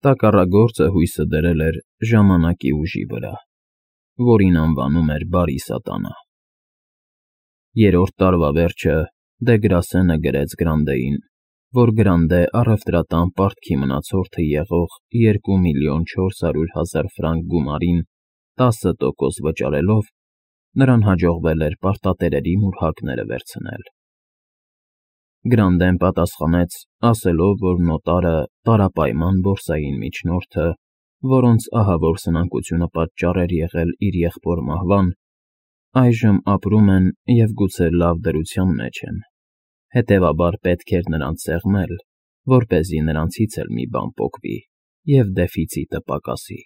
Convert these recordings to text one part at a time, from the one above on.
Տակառագործը հույսը դրել էր ժամանակի ուժի վրա, որին անվանում էր Բարի Սատանա։ Երրորդ տարվա վերջը Դեգրասենը գրեց Գրանդեին, որ Գրանդե առևտրատան պարտքի մնացորդը եղող 2,400,000 ֆրանկ գումարին 10% վճարելով, նրան հաջողվել էր պարտատերերի մուրհակները վերցնել։ Գրանդեն պատասխանեց, ասելով, որ նոտարը տարապայման բորսային միջնորդը, որոնց ահավոր սնանկությունը պատճառ էր եղել իր եղբոր մահվան, այժմ ապրում են և գուցե լավ դրության մեջ են, հետևաբար պետք էր նրանց սեղմել, որպեսզի նրանցից էլ մի բան պոկվի և դեֆիցիտը պակասի։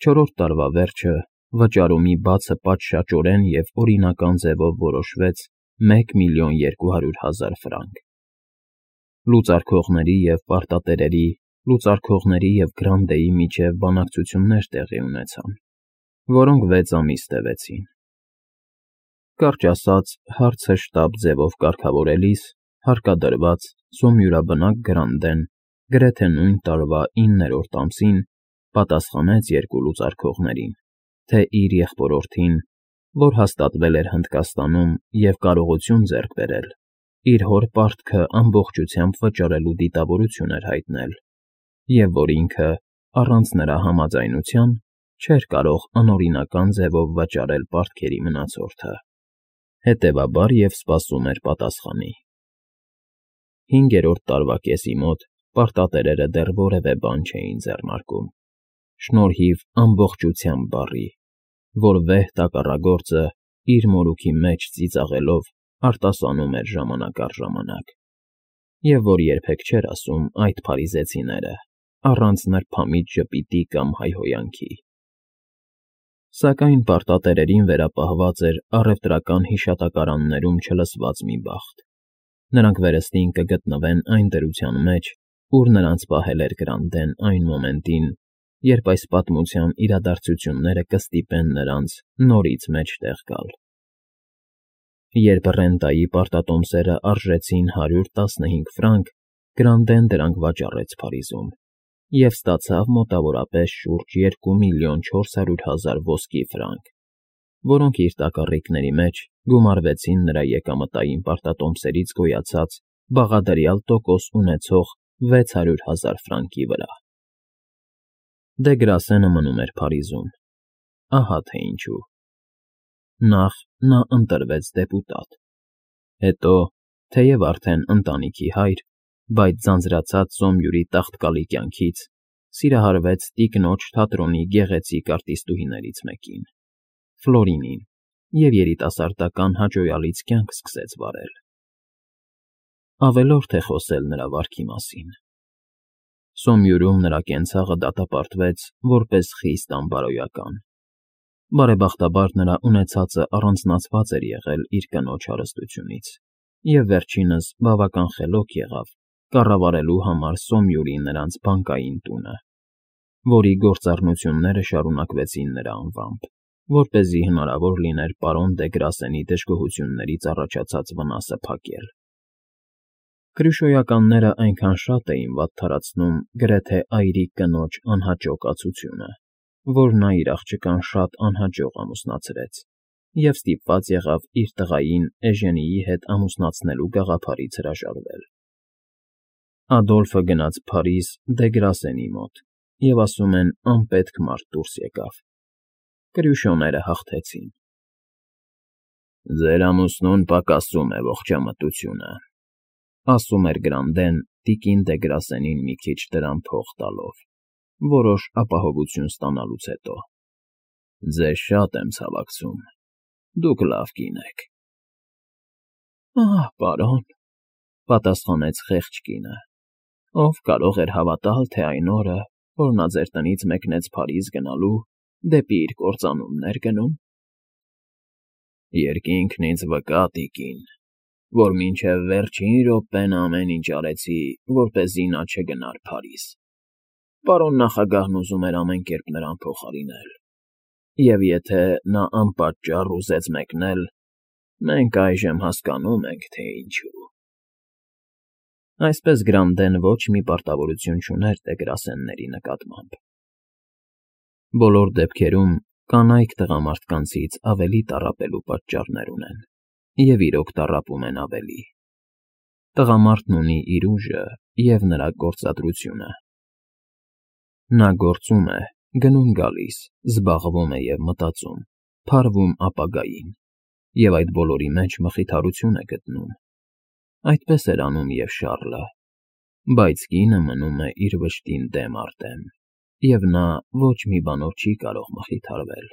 Չորրորդ տարվա վերջը վճարումի բացը պատշաճորեն և օրինական ձևով որոշվեց 1,200,000 ֆրանկ։ Լուծարքողների և պարտատերերի, լուծարքողների և Գրանդեի միջև բանակցություններ տեղի ունեցան, որոնք 6 ամիս տևեցին։ Կարճ ասած, հարցը շտապ ձևով կարգավորելիս, հարկադրված զոմյուրաբնակ Գրանդեն գրեթե նույն տարվա 9-րդ ամսին պատասխանեց երկու լուծարքողներին, թե իր եղբորորդին, որ հաստատվել էր Հնդկաստանում և կարողություն ձեռք բերել, իր հոր պարտքը ամբողջությամբ վճարելու դիտավորություն էր հայտնել, և որ ինքը, առանց նրա համաձայնության, չէր կարող անօրինական ձևով վճարել պարտքերի մնացորդը, հետևաբար և սպասում էր պատասխանի։ 5-րդ տարվա կեսի մոտ պարտատերերը դեռ որևէ բան չէին ձեռնարկում, շնորհիվ ամբողջությամբ բառի, որ վեհ տակառագործը իր մորուքի մեջ ծիծաղելով արտասանում էր ժամանակ առ ժամանակ, և որ երբեք չէր ասում այդ փարիզեցիները, առանց նրբամիտ ժպիտի կամ հայհոյանքի։ Սակայն պարտատերերին վերապահված էր առևտրական հիշատակարաններում չլսված մի բախտ. նրանք վերստին կգտնվեն այն դրության մեջ, ուր նրանց պահել էր Գրանդեն այն մոմենտին, երբ այս պատմության իրադարձությունները կստիպեն նրանց նորից մեջտեղ գալ։ Երբ ռենտայի պարտատոմսերը արժեցին 115 ֆրանկ, Գրանդեն դրանք վաճառեց Փարիզում և ստացավ մոտավորապես շուրջ 2,400,000 ոսկի ֆրանկ, որոնք իր տակառիկների մեջ գումարվեցին նրա եկամտային պարտատոմսերից գոյացած բաղադրյալ տոկոս ունեցող 600,000 ֆրանկի վրա։ Դեգրասենը մնում էր Փարիզում, ահա թե ինչու։ Նախ նա ընտրվեց դեպուտատ, հետո, թեև արդեն ընտանիքի հայր, բայց ձանձրացած զոմյուրի տաղտկալի կյանքից, սիրահարվեց տիկնոջ թատրոնի գեղեցիկ արտիստուհիներից մեկին՝ Ֆլորինին, և երիտասարդական հաճոյալից կյանք սկսեց վարել։ Ավելորդ է խոսել նրա վարքի մասին։ Սոմյուրում նրա կենցաղը դատապարտվեց որպես խիստ անբարոյական։ Բարեբախտաբար նրա ունեցածը առանձնացված էր եղել իր կնոջ հարստությունից, և վերջինս բավական խելոք եղավ կառավարելու համար Սոմյուրի նրանց բանկային տունը, որի գործառնությունները շարունակվեցին նրա անվամբ, որպեսզի հնարավոր լիներ պարոն Դեգրասենի դժգոհություններից առաջացած վնասը փակել։ Կրյուշոյականները այնքան շատ էին վատթարացնում գրեթե այրիկ կնոջ անհաճո կացությունը, որ նա իր աղջկան շատ անհաջող ամուսնացրեց և ստիպված եղավ իր տղային Էժենիի հետ ամուսնացնելու գաղափարից հրաժարվել։ Ադոլֆը գնաց Փարիզ Դեգրասենի մոտ և, ասում են, անպետք մարդ դուրս եկավ։ Կրյուշոները հաղթեցին։ «Ձեր ամուսնուն պակասում է ողջամտությունը», ասում էր Գրանդեն տիկին Դեգրասենին մի քիչ դրամ փող տալով, որոշ ապահովություն ստանալուց հետո։ «Ձեզ շատ եմ ցավակցում, դուք լավ կին եք»։ «Ահ, պարոն,֊ պատասխանեց խեղճ կինը,֊ ով կարող էր հավատալ, թե այն օրը, որ նա ձեր տնից մեկնեց Փարիզ գնալու, դեպի իր կործանումն էր գնում»։ «Երկինքն ինձ վկա, տիկին, որ մինչև վերջին րոպեն ամեն ինչ արեցի, որպեսզի նա չգնար Փարիզ։ Պարոն նախագահն ուզում էր ամեն կերպ նրան փոխարինել, և եթե նա անպատճառ ուզեց մեկնել, մենք այժմ հասկանում ենք, թե ինչու»։ Այսպես Գրանդեն ոչ մի պարտավորություն չուներ Տեգրասենների նկատմամբ։ Բոլոր դեպքերում կանայք տղամարդկանցից ավելի տառապելու պատճառներ ունեն, և իրոք տառապում են ավելի։ Տղամարդն ունի իր ուժը և նրա գործադրությունը։ Նա գործում է, գնում գալիս, զբաղվում է և մտածում, փարվում ապագային, և այդ բոլորի մեջ մխիթարություն է գտնում։ Այդպես էր անում և Շառլը, բայց կինը մնում է իր վշտին դեմ առ դեմ, և նա ոչ մի բանով չի կարող մխիթարվել։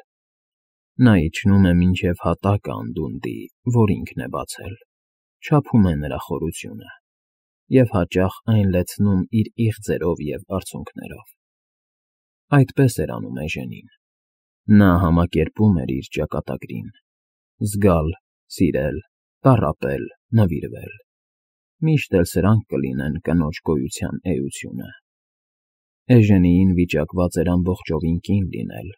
Նա իջնում է մինչև հատակը անդունդի, որ ինքն է բացել, չափում է նրա խորությունը, և հաճախ այն լեցնում իր իղձերով և արցունքներով։ Այդպես էր անում Էժենին։ Նա համակերպում էր իր ճակատագրին. զգալ, սիրել, տառապել, նվիրվել։ Միշտ էլ սրանք կլինեն կնոջ գոյության էությունը։ Էժենիին վիճակված էր ամբողջովին կին լինել,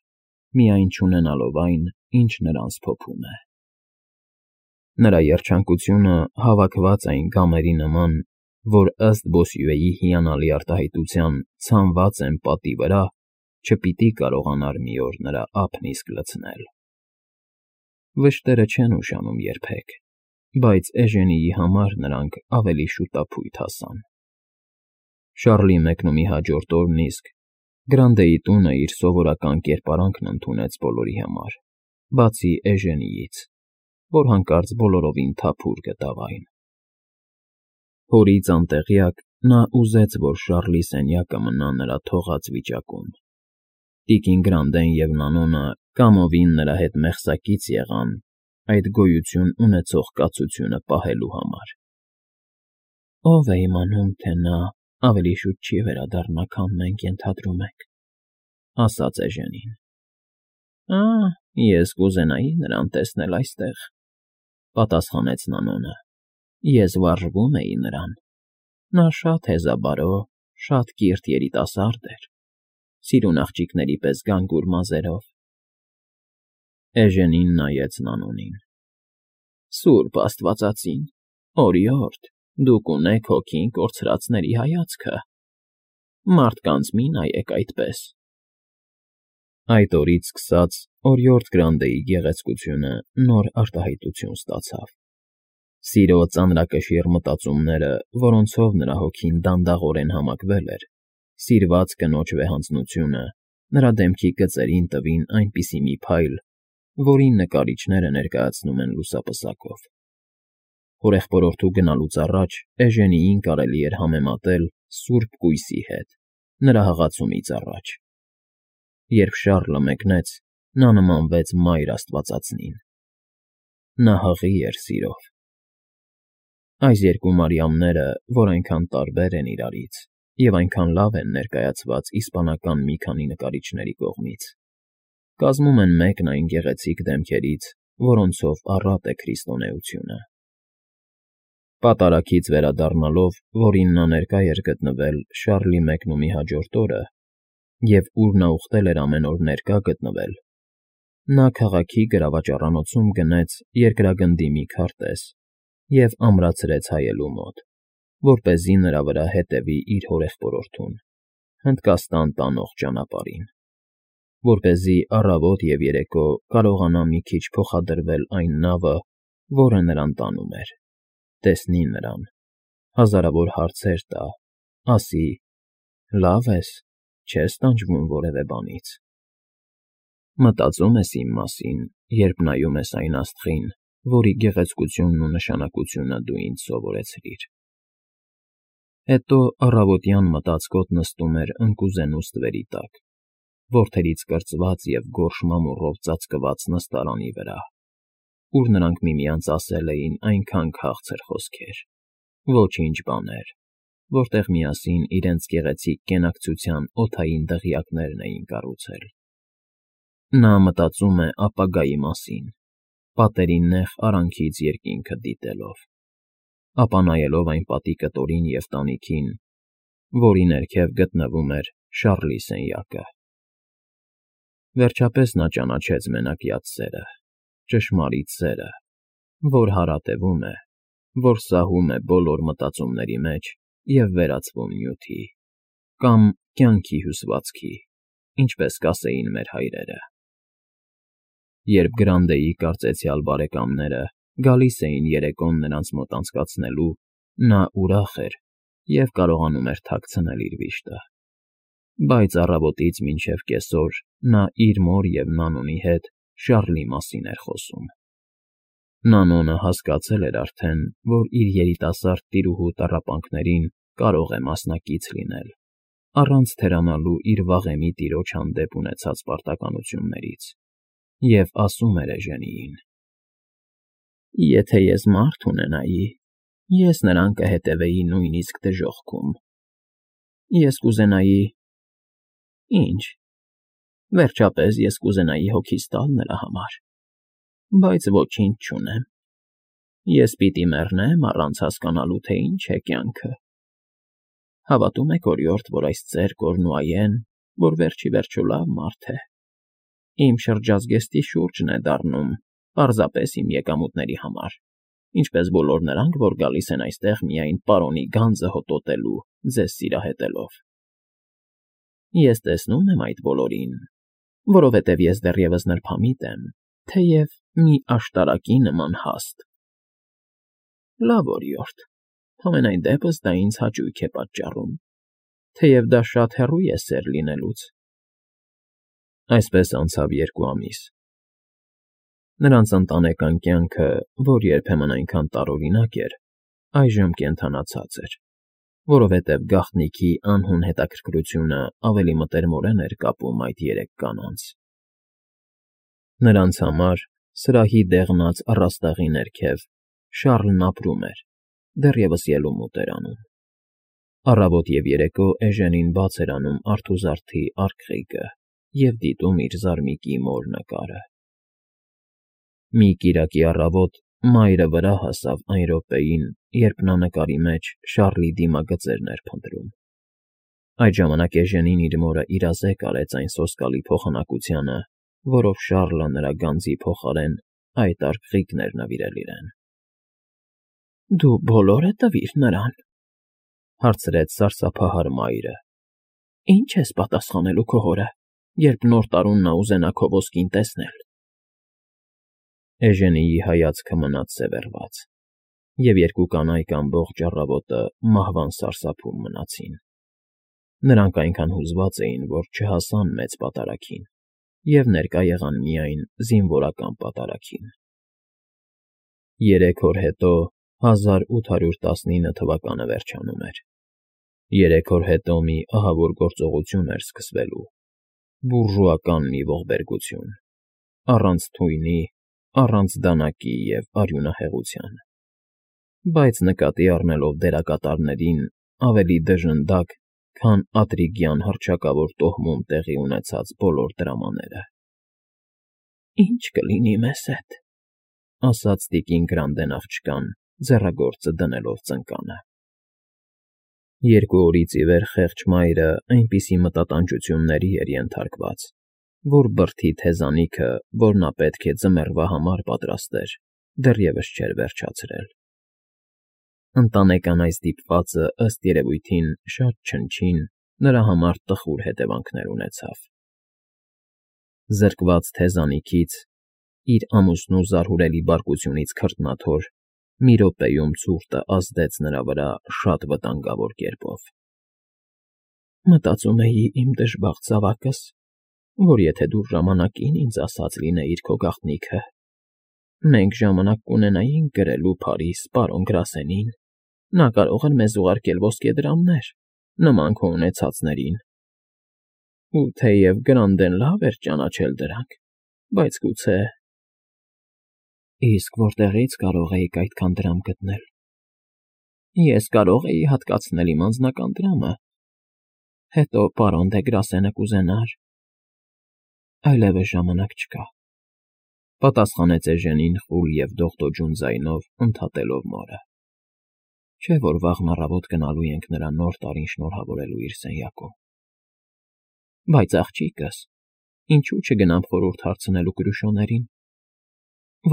միայն չունենալով այն, ինչ նրան սփոփում է։ Նրա երջանկությունը հավաքված այն գամերի նման, որ ըստ Բոսյուեի հիանալի արտահայտության ցանված են պատի վրա, չպիտի կարողանար մի օր նրա ափն իսկ լցնել։ Վշտերը չեն ուշանում երբեք, բայց Էժենիի համար նրանք ավելի շուտափույթ հասան։ Շառլի մեկնումի հաջորդ օրն իսկ Գրանդեի տունը իր սովորական կերպարանքն ընդունեց բոլորի համար, բացի Էժենիից, որ հանկարծ բոլորովին թափուր գտավ այն։ Հորից անտեղյակ նա ուզեց, որ Շառլի սենյակը մնա նրա թողած վիճակում։ Տիկին Գրանդեն և Նանոնը կամովին նրա հետ մեղսակից եղան այդ գոյություն ունեցող կացությունը պահելու համար։ Ո՞վ է իմանում, թե նա ավելի շուտ չի վերադառնա, քան մենք ենթադրում ենք, ասաց Էժենին։ Ես կուզենայի նրան տեսնել այստեղ, պատասխանեց Նանոնը։ Ես վարժվում էի նրան։ Նա շատ հեզաբարո, շատ կիրթ երիտասարդ էր, սիրուն աղջիկների պես գանգուր մազերով։ Էժենին նայեց Նանոնին։ Սուրբ Աստվածածին, օրիորդ, դուք ունեք հոգին կորցրածների հայացքը։ Մարդկանց մի նայեք այդպես։ Այդ օրից սկսած օրիորդ Գրանդեի գեղեցկությունը նոր արտահայտություն ստացավ։ Սիրո ծանրակշիռ մտածումները, որոնցով նրա հոգին դանդաղորեն համակվել էր, սիրված կնոջ վեհանձնությունը նրա դեմքի գծերին տվին այնպիսի մի փայլ, որին նկարիչները ներկայացնում են լուսապսակով։ Հորեղբորորդու գնալուց առաջ Էժենիին կարելի էր համեմատել սուրբ կույսի հետ, նրա հղացումից առաջ։ Երբ Շառլը մեկնեց, նա նմանվեց Մայր Աստվածածնին։ Նա հղի էր սիրով։ Այս երկու Մարիամները, որ այնքան տարբեր են իրարից և այնքան լավ են ներկայացված իսպանական մի քանի նկարիչների կողմից, կազմում են մեկն այն գեղեցիկ դեմքերից, որոնցով առատ է քրիստոնեությունը։ Պատարագից վերադառնալով, որին նա ներկա էր գտնվել Շառլի մեկնումի հաջորդ օրը, և ուր նա ուխտել էր ամեն օր ներկա գտնվել, նա քաղաքի գրավաճառանոցում գնեց երկրագնդի մի քարտեզ և ամրացրեց հայելու մոտ, որպեսզի նրա վրա հետևի իր հորեղբորորդուն, Հնդկաստան տանող ճանապարհին, որպեսզի առավոտ և երեկո կարողանա մի քիչ փոխադրվել այն նավը, որը նրան տանում էր, տեսնի նրան, հազարավոր հարցեր տա, ասի. «Լավ ես, չես տանջվում որևէ բանից»։ Մտածում ես իմ մասին, երբ նայում ես այն աստղին, որի գեղեցկությունն ու նշանակությունը դու ինձ սովորեցրիր։ Հետո առավոտյան մտածկոտ նստում էր ընկուզենու ստվերի տակ, որդերից կրծված և գորշ մամուռով ծածկված նստարանի վրա, ուր նրանք միմյանց ասել էին այնքան քաղցր խոսքեր, ոչինչ բաներ, որտեղ միասին իրենց գեղեցիկ կենակցության օդային դղյակներն էին կառուցել։ Նա մտածում է ապագայի մասին, պատերի նեղ արանքից երկինքը դիտելով, ապա նայելով այն պատի կտորին և տանիքին, որի ներքև գտնվում էր Շառլի սենյակը։ Վերջապես նա ճանաչեց մենակյաց սերը, ճշմարիտ սերը, որ հարատևում է, որ սահում է բոլոր մտածումների մեջ և վերածվում նյութի, կամ կյանքի հյուսվածքի, ինչպես կասեին մեր հայրերը։ Երբ Գրանդեի կարծեցյալ բարեկամները գալիս էին երեկոն նրանց մոտ անցկացնելու, նա ուրախ էր և կարողանում էր թաքցնել իր վիշտը։ Բայց առավոտից մինչև կեսօր նա իր մոր և Նանոնի հետ Շառլի մասին էր խոսում։ Նանոնը հասկացել էր արդեն, որ իր երիտասարդ տիրուհու տառապանքներին կարող է մասնակից լինել, առանց թերանալու իր վաղեմի տիրոջ հանդեպ ունեցած պարտականություններից, և ասում էր Էժենիին. «Եթե ես մարդ ունենայի, ես նրան կհետևեի նույնիսկ դժոխքում։ Ես կուզենայի… Ինչ… Վերջապես ես կուզենայի հոգիս տալ նրա համար, բայց ոչինչ չունեմ։ Ես պիտի մեռնեմ առանց հասկանալու, թե ինչ է կյանքը։ Հավատում եք, օրիորդ, որ այս ծեր Կորնուայեն, որ վերջիվերջո լավ մարդ է, իմ շրջազգեստի շուրջն է դառնում պարզապես իմ եկամուտների համար, ինչպես բոլոր նրանք, որ գալիս են այստեղ միայն պարոնի գանձը հոտոտելու, ձեզ սիրահետելով։ Ես տեսնում եմ այդ բոլորին, որովհետև ես դեռևս նրբամիտ եմ, թեև մի աշտարակի նման հաստ։ Լավ, օրիորդ, համենայն դեպս դա ինձ հաճույք է պատճառում, թեև դա շատ հեռու է սեր լինելուց»։ Այսպես անցավ 2 ամիս։ Նրանց ընտանեկան կյանքը, որ երբեմն այնքան տարօրինակ էր, այժմ կենդանացած էր, որովհետև գաղտնիքի անհուն հետաքրքրությունը ավելի մտերմորեն էր կապում այդ 3 կանանց։ Նրանց համար սրահի դեղնած առաստաղի ներքև Շառլն ապրում էր, դեռևս ելումուտ էր անում։ Առավոտ և երեկո Էժենին բաց էր անում արթուզարդի արկղիկը և դիտում իր զարմիկի մոր նկարը։ Մի կիրակի առավոտ մայրը վրա հասավ այն րոպեին, երբ նա նկարի մեջ Շառլի դիմագծերն էր փնտրում։ Այդ ժամանակ Էժենին իր մորը իրազեկ արեց այն սոսկալի փոխանակությանը, որով Շառլը նրա գանձի փոխարեն այդ արկղիկն էր նվիրել իրեն։ ֊ Դու բոլորը տվիր նրան,֊ հարցրեց սարսափահար մայրը։ ֊ Ի՞նչ ես պատասխանելու քո հորը, երբ նոր տարում նա ուզենա քո ոսկին տեսնել։ Էժենիի հայացքը մնաց սևեռված, և 2 կանայք ամբողջ առավոտը մահվան սարսափում մնացին։ Նրանք այնքան հուզված էին, որ չհասան մեծ պատարագին և ներկա եղան միայն զինվորական պատարագին։ 3 օր հետո 1819 թվականը վերջանում էր։ 3 օր հետո մի ահավոր գործողություն էր սկսվելու, բուրժուական մի ողբերգություն, առանց թույնի, առանց դանակի և արյունահեղության, բայց նկատի առնելով դերակատարներին ավելի դժնդակ, քան Ատրիգյան հռչակավոր տոհմում տեղի ունեցած բոլոր դրամաները։ «Ի՞նչ կլինի մեզ հետ,֊ ասաց տիկին Գրանդեն աղջկան, ձեռագործը դնելով ծնկանը։ 2 օրից ի վեր խեղճ մայրը այնպիսի մտատանջությունների էր ենթարկված, որ բրդի թեզանիքը, որ նա պետք է ձմեռվա համար պատրաստեր, դեռևս չէր վերջացրել։ Ընտանեկան այս դիպվածը, ըստ երևույթին, շատ չնչին, նրա համար տխուր հետևանքներ ունեցավ։ Զրկված թեզանիքից, իր ամուսնու զարհուրելի բարկությունից քրտնաթոր, մի րոպեում ցուրտը ազդեց նրա վրա շատ վտանգավոր կերպով։ Մտածում էի իմ դժբախտ զավակս, որ եթե դու ժամանակին ինձ ասած լինեիր քո գաղտնիքը, մենք ժամանակ կունենայինք գրելու Փարիզ պարոն Գրասենին, նա կարող էր մեզ ուղարկել ոսկեդրամներ, նման քո ունեցածներին։ Ու թեև Գրանդեն լավ էր ճանաչել դրանք, բայց գուցե… Իսկ որտեղի՞ց կարող էիք այդքան դրամ գտնել։ Ես կարող էի հատկացնել իմ անձնական դրամը, հետո պարոն դե Գրասենը կուզենար… Այլևս ժամանակ չկա,֊ պատասխանեց Էժենին խուլ և դողդոջուն ձայնով, ընդհատելով մորը։ Չէ՞ որ վաղն առավոտ գնալու ենք նրա նոր տարին շնորհավորելու իր սենյակում։ Բայց, աղջիկս, ինչո՞ւ չգնամ խորհուրդ հարցնելու Կրուշոներին։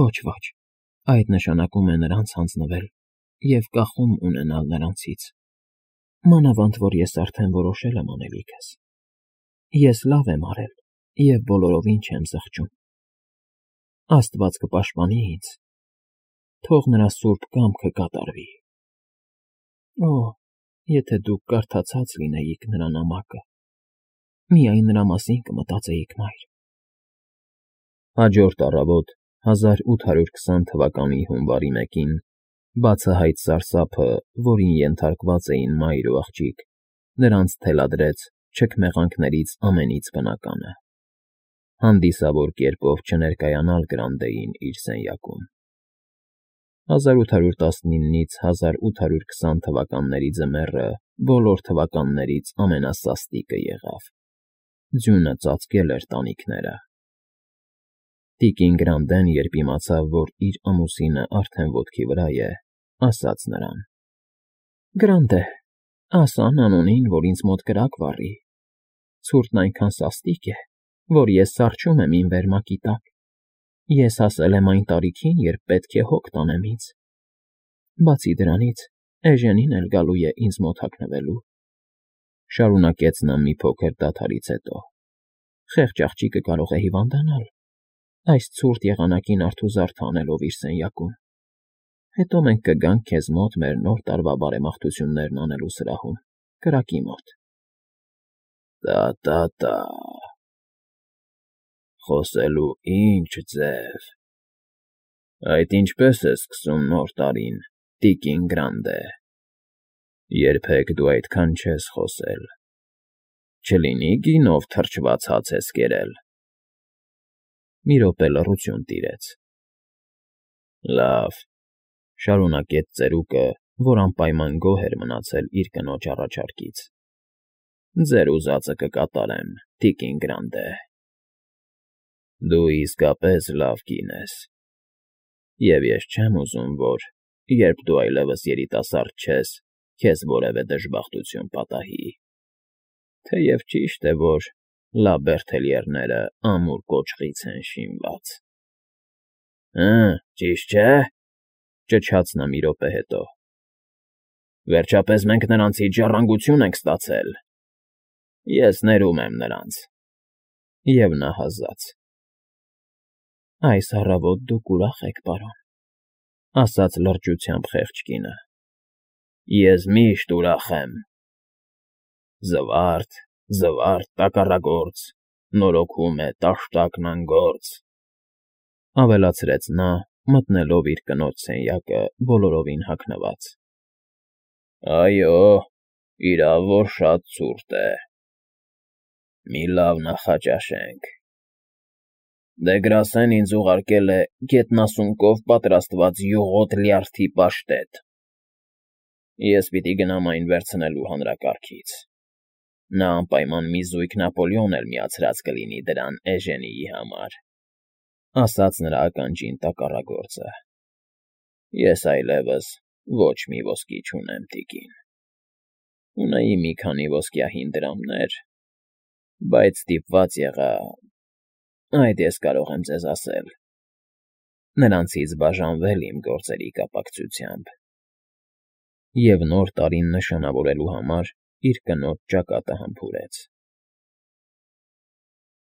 Ոչ, ոչ, այդ նշանակում է նրանց հանձնվել և կախում ունենալ նրանցից։ Մանավանդ որ ես արդեն որոշել եմ անելիքս։ Ես լավ եմ արել և բոլորովին չեմ զղջում։ Աստված կպաշտպանի ինձ, թող նրա սուրբ կամքը կատարվի։ Օ, եթե դուք կարդացած լինեիք նրա նամակը, միայն նրա մասին կմտածեիք, մայր։ Հաջորդ առավոտ 1820 թվականի հունվարի 1-ին բացահայտ սարսափը, որին ենթարկված էին մայր ու աղջիկ, նրանց թելադրեց չքմեղանքներից ամենից բնականը՝ հանդիսավոր կերպով չներկայանալ Գրանդեին իր սենյակում։ 1819-ից 1820 թվականների ձմեռը բոլոր թվականներից ամենասաստիկը եղավ։ Ձյունը ծածկել էր տանիքները։ Տիկին Գրանդեն, երբ իմացավ, որ իր ամուսինը արդեն ոտքի վրա է, ասաց նրան. «Գրանդե, ասա Նանունին, որ ինձ մոտ կրակ վառի։ Ցուրտն այնքան սաստիկ է, որ ես սառչում եմ իմ վերմակի տակ։ Ես հասել եմ այն տարիքին, երբ պետք է հոգ տանեմ ինձ։ Բացի դրանից, Էժենին էլ գալու է ինձ մոտ հագնվելու», շարունակեց նա մի փոքր դադարից հետո։ «Խեղճ աղջիկը կարող է հիվանդանալ, այս ցուրտ եղանակին արթուզարդ անելով իր սենյակում։ Հետո մենք կգանք քեզ մոտ մեր նոր տարվա բարեմաղթություններն անելու սրահում, կրակի մոտ»։ Տա, խոսելու ինչ ձև։ Այդ ինչպես է սկսում նոր տարին, տիկին Գրանդե։ Երբեք դու այդքան չես խոսել։ Չլինի գինով թրջված հաց ես կերել։ Մի րոպե լռություն տիրեց։ Լավ, շարունակեց ծերուկը, որ անպայման գոհ էր մնացել իր կնոջ առաջարկից։ ձեր ուզածը կկատարեմ, տիկին Գրանդե։ Դու իսկապես լավ կին ես։ Եվ ես չեմ ուզում, որ, երբ դու այլևս երիտասարդ չես, քեզ որևէ դժբախտություն պատահի։ Թեև ճիշտ է, որ Լա Բերթելյերները ամուր կոճղից են շինված։ Ճիշտ չէ՞, ճչաց նա մի րոպե հետո։ Վերջապես մենք նրանցից ժառանգություն ենք ստացել։ Ես ներում եմ նրանց։ Եվ նա հազաց։ Այս առավոտ դուք ուրախ եք, պարոն, ասաց լրջությամբ խեղճ կինը։ Ես միշտ ուրախ եմ։ Զվարթ, տակառագործ, նորոգում է տաշտակն անգործ, ավելացրեց նա, մտնելով իր կնոջ սենյակը բոլորովին հագնված։ Այո, իրավ որ շատ ցուրտ է։ Մի լավ նախաճաշենք։ Դեգրասեն ինձ ուղարկել է գետնասունկով պատրաստված յուղոտ լյարդի պաշտետ։ Ես պիտի գնամ այն վերցնելու հանրակարգից։ Նա անպայման մի զույգ Նապոլեոն էլ միացրած կլինի դրան Էժենիի համար, ասաց նրա ականջին տակառագործը։ Ես այլևս ոչ մի ոսկի չունեմ, տիկին։ Ունեի մի քանի ոսկյահին դրամներ, բայց ստիպված եղա, այդ ես կարող եմ ձեզ ասել, նրանցից բաժանվել իմ գործերի կապակցությամբ։ Եվ նոր տարին նշանավորելու համար իր կնոջ ճակատը համբուրեց։